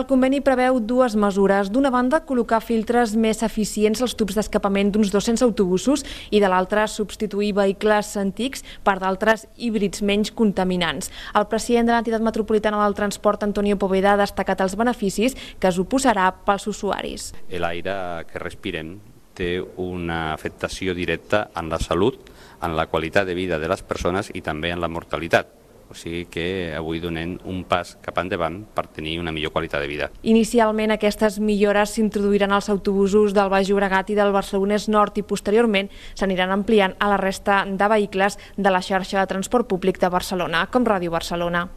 El conveni preveu dues mesures. D'una banda, col·locar filtres més eficients als tubs d'escapament d'uns 200 autobusos i de l'altra, substituir vehicles antics per d'altres híbrids menys contaminants. El president de l'entitat metropolitana del transport, Antonio Poveda, ha destacat els beneficis que suposarà pels usuaris. L'aire que respirem té una afectació directa en la salut, en la qualitat de vida de les persones i també en la mortalitat. O sigui que avui donem un pas cap endavant per tenir una millor qualitat de vida. Inicialment aquestes millores s'introduiran als autobusos del Baix Llobregat i del Barcelonès Nord i posteriorment s'aniran ampliant a la resta de vehicles de la xarxa de transport públic de Barcelona, com Ràdio Barcelona.